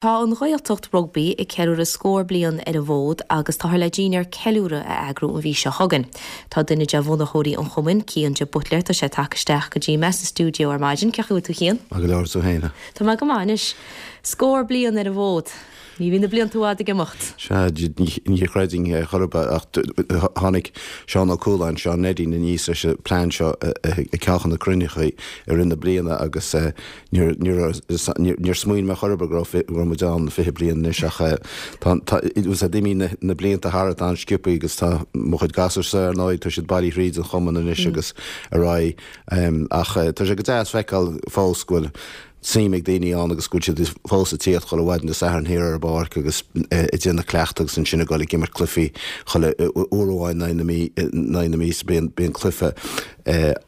Tá an Ghaeltacht Rugbaí ag ceiliúradh scór bliain ar an bhfód agus táthar le dinnéar ceiliúradh a eagrú an mhí seo chugainn. Tá duine de bhunaitheoirí an chumainn, Cian de Buitléar, tá sé tagtha isteach go dtí mé sa stiúideo ar maidin. Cén chaoi a bhfuil tú Cian? Maith go leor, tú féin? Tá mé go maith anois. Scór bliain ar an bhfód. Ní bhíonn na blianta i bhfad ag imeacht. Sea, ní chreidfinn é chor ar bith ach tháinig Seán Ó Cualáin, Seán Neidín, aníos leis an bplean seo ag ceann de na cruinnithe i rith na bliana agus Níor smaoinigh mé chor ar bith go raibh muid ann 20 bliain anois ach tá, d'imigh na blianta thart an-sciobtha agus tá mo chuid gasúrsa ar ndóigh, tá siad bailithe thríd an chumann anois agus ar aghaidh. Ach tá sé go deas feiceáil fós go bhfuil suim ag daoine ann agus go bhfuil siad fós ag tíocht chuile mhaidin Dé Sathairn thiar ar an bpáirc agus ag déanamh cleachtadh agus ansin ag dul ag imirt cluichí chuile uair amháin in aghaidh na míosa bíonn cluiche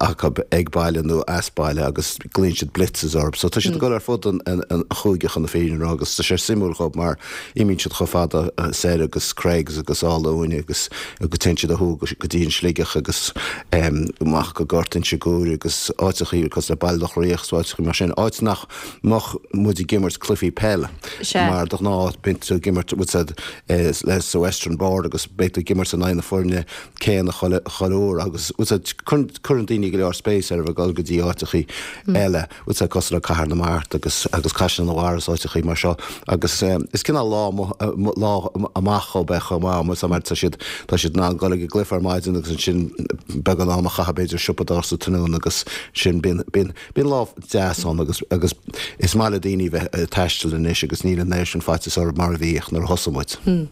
acu ag baile nó as baile agus glaonn siad blitzes orthu. So tá siad ag dul ar fud an chúige chun na fírinne a rá agus tá sé suimiúil dhób mar imíonn siad chomh fada soir agus Creggs agus Áth Luain agus go téann siad ó thuaidh go dtí an Sligeach agus amach go Gort Inse Guaire agus áiteachaí cosúil le Baile Locha Riach is áiteachaí mar sin, áit nach mbeadh muid ag imirt cluichí peile mar de ghnáth bíonn tú ag imirt le sa Western Board agus beidh tú ag imirt in aghaidh na foirne céanna chuile uair agus cuireann daoine go leor spéis ar a bheith ag dul go dtí áiteachaí eile, cosúil le Cathair na Mart agus agus Caisleán an Bharraigh is áiteachaí mar seo agus is cineál lá lá amach dhób é chomh maith mar tá siad tá siad in ann dul ag an gcluiche ar maidin agus ansin beagán am a chaitheamh b'fhéidir siopadóireacht sa tráthnóna agus sin bíonn bíonn Bíonn lá deas ann agus agus is maith le daoine bheith ag taisteal anois agus níl an oiread sin faitíos orthu mar a bhíodh nuair a thosaigh muid.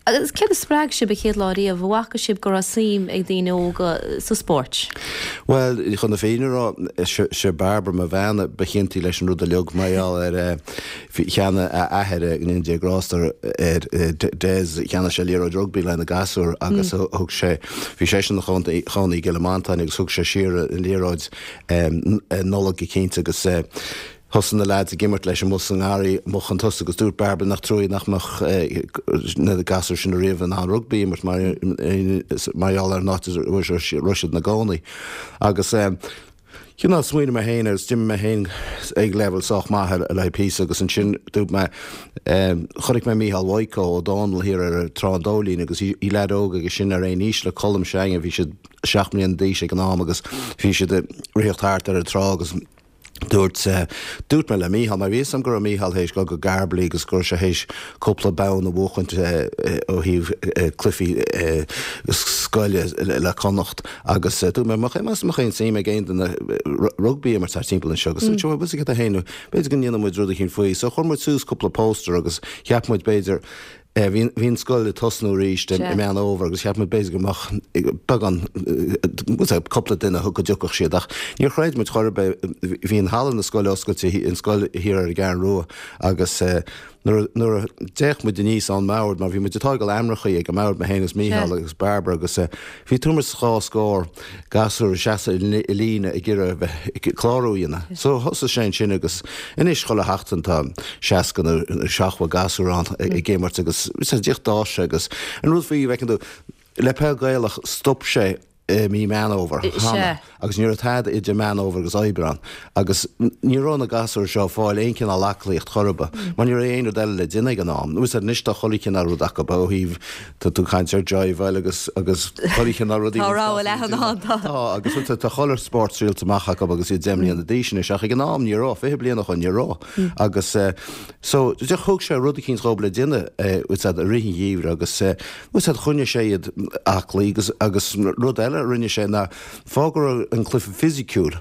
Agus céard a spreag sibh an chéad lá riamh? An bhfaca sibh go raibh suim ag daoine óga sa spórt? Bhuel, chun na fírinne a rá, sé Barbara, mo bhean, ba chiontaí leis an rud uilig mar gheall ar Cheannaigh a athair, go ndéana Dia grásta air, Des, cheannaigh sé liathróid rugbaí le na gasúir agus thug sé, bhí seisean ina chónaí i gCill Mhantáin agus thug sé siar an liathróid Nollag eicínt agus thosaigh na leaids ag imirt leis amuigh sa ngarraí amuigh chun tosaigh agus dúirt Bairbre nach truaighe nach mbeadh na gasúir sin ariamh in ann rugbaí a imirt mar mar gheall ar an áit a raibh siad ina gcónaí. Agus cineál smaoinigh mé féin agus d'imir mé féin ag leibhéal sách maith le haghaidh píosa agus ansin dúirt mé chonaic mé Mícheál Mhaidhc Ó Dónaill thiar ar Trá an Dóilín agus bhí leaid óg aige sin ar aon aois le Colm s'againne, bhí siad 7 mbliana d'aois ag an am agus bhí siad ag ritheacht thart ar an trá agus dúirt, dúirt mé le Mícheál, mar bhí fhios agam go raibh Mícheál théis dul go Garbally agus go raibh sé théis cúpla bonn a bhuachaint ó thaobh cluichí scoile le Connacht agus dúirt mé, mbeadh aon suim ag aon duine rugbaí a imirt thart timpeall anseo agus dúirt sé, bhuel, bhfuil fhios agat féin, b'fhéidir go ndéanfaidh muid rud eicínt faoi. So chuir muid suas cúpla póstaer agus cheap muid b'fhéidir Bhí an scoil ag tosnú arís i Meán Fhómhair agus cheap muid b'fhéidir go mbeadh beagán, cúpla duine go dtiocfadh siad ach níor chreid muid chor ar bith. Bhí an halla na scoile oscailte, an scoil thiar ar an gCeathrú Rua agus nuair nuair a d'fhéach muid aníos ón mbord mar bhí muid ag tógáil aimreachaí ag an mbord, mé féin agus Mícheál agus Barbara agus bhí tuairim is dhá scór gasúr ag seasamh i líne ag iarraidh a bheith clárú a dhéanamh. So thosaigh sé ansin agus anois chuile sheachtain tá 60 nó 70 gasúr ann ag imirt agus díreach d'fhás sé agus an rud faoi bhfeiceann tú le peil Gaelach stop sé i mí Meán Fhómhair cheana agus ní raibh tada idir Meán Fhómhair agus Aibreán agus ní raibh na gasúir seo ag fáil aon chineál aclaíocht chor ar bith mar ní raibh aon rud eile le déanamh ag an am. Nó anois tá chuile chineál rud acu ó thaobh Tá tú ag caint ar jiveáil agus agus chuile chineál rudaí. Tá rogha leathan ann, tá. Tá, agus tá tá chuile spórt triailte amach acu agus iad 10 mbliana d'aois anois, ach ag an am ní raibh, 20 bliain ó shoin ní raibh. Agus eh so thug sé rud eicínt dhób le déanamh eh i rith an gheimhridh agus eh choinnigh sé iad aclaí agus agus rud eile a rinne sé ná fág go raibh an cluiche fisiciúil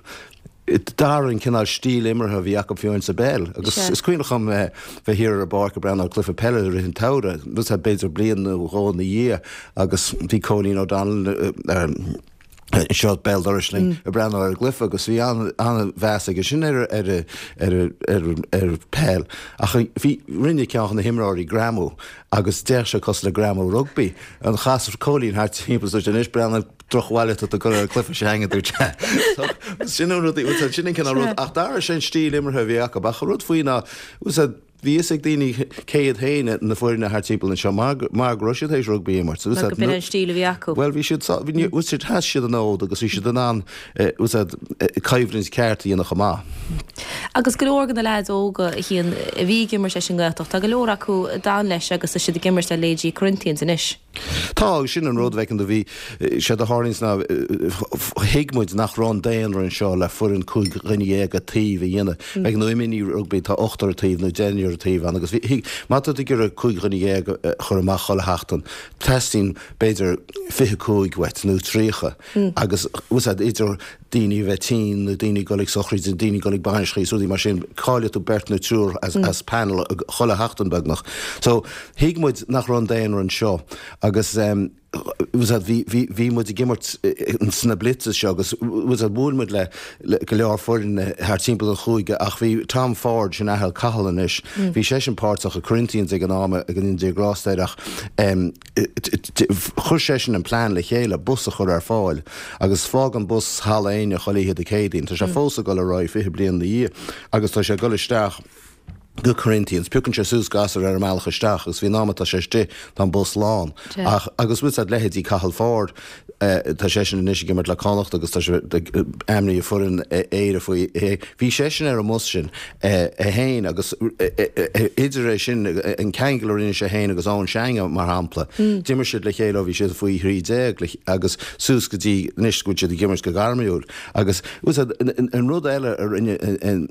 D'athraigh an cineál stíl imeartha a bhí acu fiú amháin sa bpeil. Agus is cuimhneach liom bheith thiar ar an bpáirc ag breathnú ar cluiche peile i rith an tsamhraidh, b'fhéidir bliain nó dhó ina dhiaidh, agus bhí Cóilín O'Donnell anseo béal dorais linn ag breathnú ar an gcluiche agus bhí an-mheas aige sin ar ar peil. Ach bhí, rinne ceann de na himreoirí greamú agus d'fhéach sé cosúil le greamú rugbaí. An chas Cóilín thart timpeall is dúirt anois breathnaigh drochbhail atá tú ag cur ar an cluiche s'againne, dúirt sé. So, sin an rud, sin an cineál rud. Ach d'athraigh sé an stíl imeartha a bhí acu. Ach an rud faoi ná, bhí fhios ag daoine cé hiad féin na foirne thart timpeall anseo mar mar go raibh siad théis rugbaí a imirt. Mar go b'in an stíl a bhí acu. Bhuel bhí siad bhí siad sheas siad an fhód agus bhí siad in ann úsáid coimhlint ceart a dhéanamh chomh maith. Agus go leor de na leaids óga a Chian a bhí ag imirt leis an nGaeltacht, tá go leor acu a d'fhan leis agus tá siad ag imirt le leithéidí Corinthians anois. Tá, agus sin an rud, bhfeiceann tú, bhí, séard a tharlaíonns ná, thuig muid nach raibh an daonra anseo le foireann 15 dhuine an taobh a dhéanamh. Bhfeiceann tú i mini rugbaí tá ochtar an taobh nó deichniúr an taobh ann agus bhí, thuig, má tá tú ag iarraidh 15 dhuine a chur amach chuile sheachtain, teastaíonn b'fhéidir 25 uait nó 30. Agus úsáid idir daoine a bheith tinn nó daoine ag dul ag sochraidí, daoine ag dul ag bainiseacha is rudaí mar sin, caillfidh tú beirt nó triúr as panel chuile sheachtain beagnach. So thuig muid nach raibh an daonra anseo agus úsáid bhí bhí bhí muid ag imirt sna blitzes seo agus úsáid bhuail muid le le go leor foirne thar timpeall an chúige ach bhí Tom Ford, sin athair Cathal anois, bhí seisean páirteach i Corinthians ag an am go ndéana Dia grásta air ach Chuir seisean an plean le chéile, bus a chur ar fáil, agus fágann bus Halla Éinne chuile oíche Dé Céadaoin. Tá sé fós ag dul ar aghaidh 20 bliain ina dhiaidh agus tá sé ag dul isteach go Corinthians. Piocann sé suas gasúir ar an mbealach isteach agus faoin am atá sé istigh tá an bus lán. Ach, agus bhfuil 's a'd, leithéidí Cathal Ford, Tá seisean anois ag imirt le Connacht agus tá sé ainmnithe foireann Éire faoi. Bhí seisean ar an mbus sin é féin agus idir é sin, an ceangal a rinne sé féin agus Eoin Seange mar shampla, d'imir siad le chéile ó bhí siad faoi 13 agus suas go dtí anois go bhfuil siad ag imirt go gairmiúil. Agus an rud eile a rinne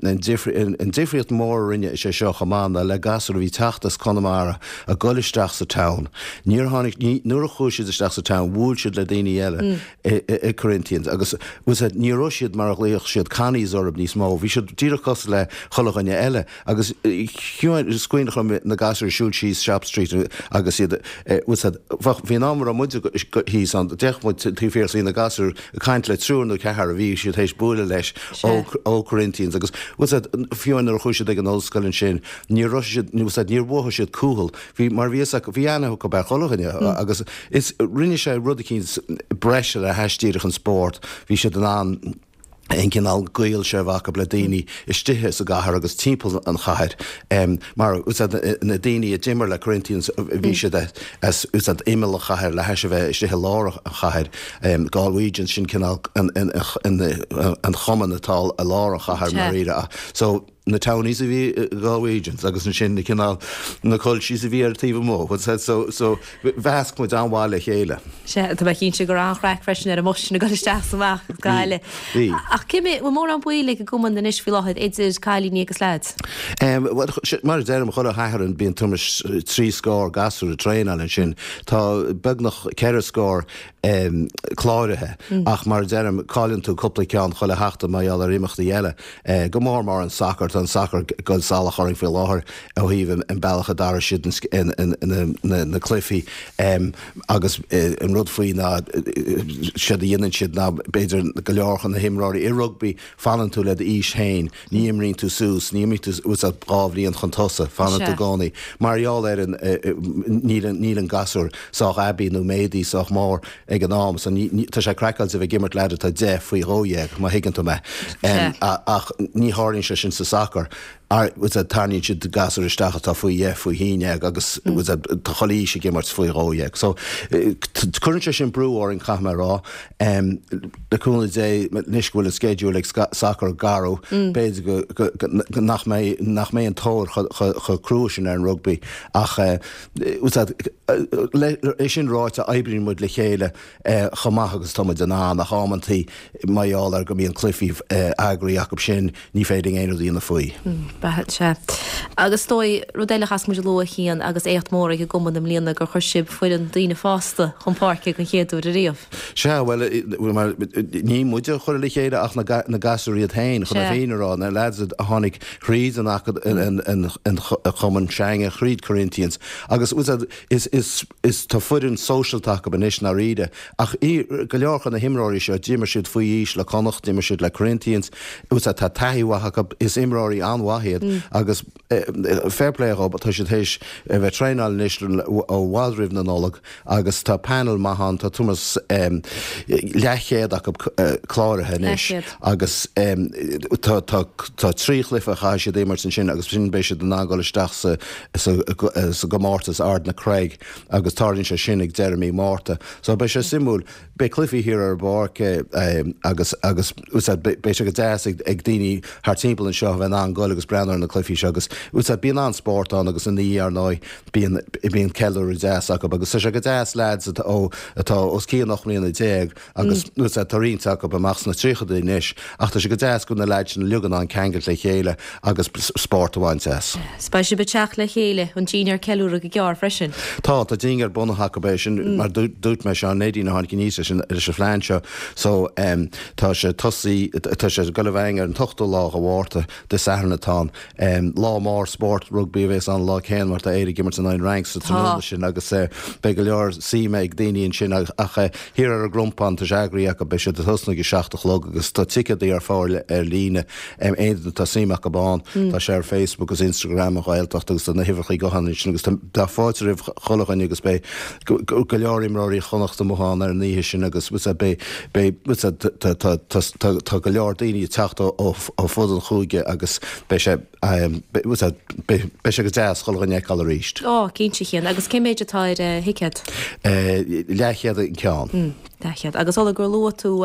an difríocht mhór a rinne sé seo chomh maith ná le gasúir a bhí ag teacht as Conamara ag dul isteach sa town. Níor tháinig, ní, nuair a chuaigh siad isteach sa town, bhuail siad le daoine eile i, i Corinthians agus, bhfuil 's a'd, ní raibh siad mar a ghlaofadh siad Connies orthu níos mó, bhí siad díreach cosúil le chuile dhuine eile agus is cuimhin liom na gasúir ag siúl síos Shop Street agus iad, bhfuil 's a'd, bheadh, bhí an am a raibh muid thíos ann, d'fhéach muid taobh thiar is bhí na gasúir ag caint le triúr nó ceathrar a bhí siad théis bualadh leis ó, ó Corinthians agus, bhfuil 's a'd, fiú nuair a chuaigh siad ag an ollscoil ansin, Ní raibh siad, bhfuil 's a'd, níor mhothaigh siad cúthail. Bhí, mar bhí fhios acu, bhí aithne acu ar chuile dhuine agus is, rinne sé rud eicínt breise le hais díreach an spórt. Bhí siad in ann an cineál gaol seo a bheith acu le daoine istigh sa gcathair agus timpeall an chathair. Mar, bhfuil 's a'd, na daoine a d'imir le Corinthians, bhí siad as, bhfuil 's a'd, imeall an chathair le hais a bheith istigh i lár an chathair. Galwegians, sin cineál an, an, an, an chumann atá i lár an chathair, i ndáiríre. So, na townies a bhí i Galwegians agus ansin na cineál na culchies a bhí ar an taobh amuigh what's that so so mheasc muid an-mhaith le chéile. Sea, tá mé cinnte go raibh an-chraic freisin ar an mbus sin ag dul isteach is amach as Gaillimh. Bhí. Ach cé mhéad, bhfuil mórán baill ag an gcumann anois faoi láthair idir cailíní agus leaids? Em, bhuel, mar a deirim, chuile Shatharn bíonn tuairim is trí scór gasúr ag traenáil ansin. Tá beagnach ceithre scór em cláraithe ach mar a deirim, cailleann tú cúpla ceann chuile sheachtain mar gheall ar imeachtaí eile. Go mór mór an sacar, tá an sacar ag goil salach orainn faoi láthair ó thaobh an bealach a d'athraigh siad na cluichí agus an rud faoi ná séard a dhéanann siad ná b'fhéidir go leor de na himreoirí i rugbaí fanann tú le d'aois féin, ní imríonn tú suas, ní imríonn tú dhá bhliain chun tosaigh, fanann tú i gcónaí mar gheall ar an níl an gasúr sách aibí nó méadaithe sách mór. ag an am so ní, tá sé craiceáilte a bheith ag imirt leaid atá 10 faoi 12, má thuigeann tú mé. Ach ní tharlaíonn sé sin sa sacar. Tarraingíonn siad gasúir isteach atá faoi dheich, faoi haon dhéag agus tá chuile aois ag imirt faoi 12. So cuireann sé sin brú orainn, caithfidh mé a rá. Le cúnamh Dé, anois go bhfuil an sceideal ag sacar garbh, b'fhéidir go nach mbeidh, nach mbeidh an tóir chomh crua sin ar an rugbaí ach, É sin ráite, oibríonn muid le chéile chomh maith agus atá muid in ann, ach amantaí, mar gheall ar go mbíonn cluichí eagraithe acu sin, ní féidir linn aon rud a dhéanamh faoi. Sea, sea. Agus is dóigh, rud eile a chaithfeas muid a lua, a Chian, agus éacht mór ag an gcumann i mbliana, gur chuir sibh foireann daoine fásta chun páirce den chéad uair ariamh. Sea, bhuel, ní muide a chuir le chéile ach na gasúir iad féin, chun an fhírinne a rá, na lads a tháinig thríd an chumann Seange, thríd Corinthians, agus is, is, is, tá foireann sóisialta acu anois i ndáiríre, ach go leor de na himreoirí seo, d'imir siad faoi aois le Connacht, d'imir siad le Corinthians, tá taithí mhaith acu, is imreoirí an-mhaith iad. iad agus fair play dhób, tá siad théis a bheith traenáil anois ó i bhfad roimh na Nollag agus tá panel maith ann, tá tuairim is leathchéad acu cláraithe anois agus tá tá 3 chluiche a chaithfidh siad a imirt ansin agus ansin beidh siad in ann dul isteach sa sa sa gcomórtas Ard na Creige agus tarlaíonn sé sin ag deireadh mí Márta. So beidh sé suimiúil. Beidh cluichí thiar ar an bpáirc agus agus beidh sé go deas ag daoine thart timpeall anseo a bheith in ann goil agus breathnú ar na cluichí seo agus bíonn an-spórt ann agus ina dhiaidh ar ndóigh bíonn bíonn ceiliúradh deas acu agus tá sé go deas leaids atá ó atá os cionn 18 mbliana agus tá roinnt acu amach sna tríochadaí anois ach tá sé go deas go bhfuil na leaids sin uilig in ann ceangailt le chéile agus spórt a bhaint as. 'S beidh sibh ag teacht le chéile don dinnéar ceiliúradh go gearr freisin. Tá, tá dinnéar bunaithe acu é sin, mar dúirt mé, seo Nadine a tháinig aníos leis an leis an phlean seo so tá sé tosaí, tá sé ag dul i bhfeidhm ar an t-ochtú lá de Mhárta, Dé Sathairn atá ann. Lá mór spóirt rugbaí a bhéas ann an lá céanna mar tá Éire ag imirt in aghaidh an Fhrainc sa tráthnóna sin agus beidh go leor suime ag daoine ansin ach thiar ar an gCrompán tá sé eagraithe acu, beidh siad ag tosnú ag a 7 a chlog agus tá ticéadaí ar fáil ar líne. Aon duine atá suim acu ann, tá sé ar Facebook agus Instagram an Ghaeltacht agus tá na huimhreachaí gutháin ansin agus tá fáilte roimh chuile dhuine agus beidh go leor imreoirí Chonnacht amuigh ann ar an oíche sin agus beidh beidh tá go leor daoine ag teacht ó fud an chúige agus beidh sé beidh sé go deas chuile dhuine a fheiceáil arís. Ó, cinnte a Chian. Agus cé méid atá ar thicéad? Leathchéad an ceann. Leathchéad. Agus ó gur luaigh tú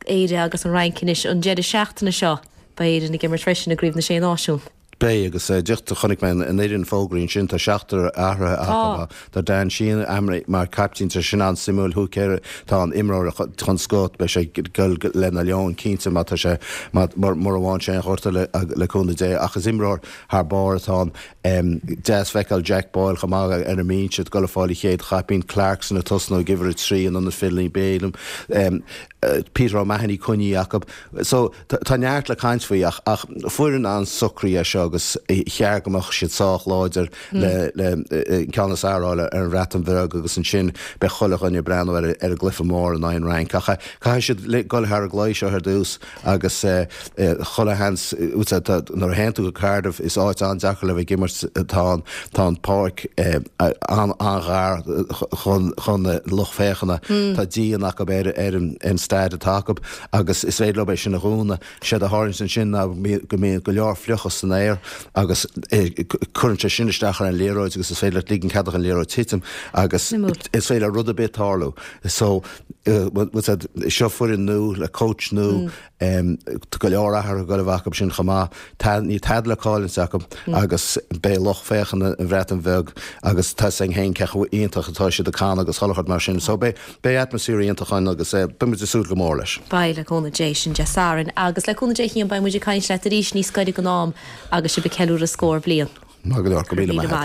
Éire agus an Fhrainc anois an deireadh seachtaine seo. Beidh Éirinn ag imirt freisin i gCraobh na Sé Náisiún. Beidh, agus díreach chonaic mé an fhoireann fógraithe ansin, tá seachtar athraithe acu. Tá Dan Sheehan ainmnithe mar caiptín, tá sin an-suimiúil. Hooker atá ann, imreoir den scoth, beidh sé ag dul le na Leoin cinnte má tá sé, mura bhfaigheann sé aon ghortú le cúnamh Dé. Ach is imreoir thar barr atá ann. Deas feiceáil Jack Boyle chomh maith ar an mbinse ag dul ag fáil a chéad chaipín, Clarkson ag tosnú ag uimhir 3 in ionad Finlay Bealham. Peter O'Mahony coinnithe acu. So, tá neart le caint faoi ach ach foireann an-socraithe é seo agus cheart go mbeadh siad sách láidir le le ceann is fearr a fháil ar an Bhreatain Bheag agus ansin beidh chuile dhuine ag breathnú ar ar an gcluiche mór in aghaidh an Fhrainc. Ach caithfidh siad dul thar an gcluiche seo ar dtús agus chuile sheans, nuair a théann tú go Cardiff is áit an-deacair le bheith ag imirt atá ann, tá an pháirc an-ghar chun na lucht féachana, tá díon acu ar an staid atá acu agus is féidir leo é sin a dhúnadh. Séard a tharlaíonn ansin ná go mbíonn go leor fliuchas san aer agus cuireann sé sin isteach ar an liathróid agus is féidir leat ligean cead don liathróid titim agus is féidir le rud ar bith tarlú. So, seo foireann nua le coach nua, tá go leor athruithe ag dul a bheith acu sin chomh maith. Níl tada le cailliúint acu agus beidh lucht féachana an Bhreatain Bheag agus tá 'fhios againn féin cé chomh iontach atá siad ag canadh agus chuile shórt mar sin. So beidh atmaisféar iontach ann agus beidh muid ag súil go mór leis. Beidh, le cúnamh Dé, sin Dé Sathairn agus le cúnamh Dé Cian beidh muid ag caint leat arís níos gaire don am agus sibh ag ceiliúradh scór bliain. Maith go leor, go raibh míle maith agat.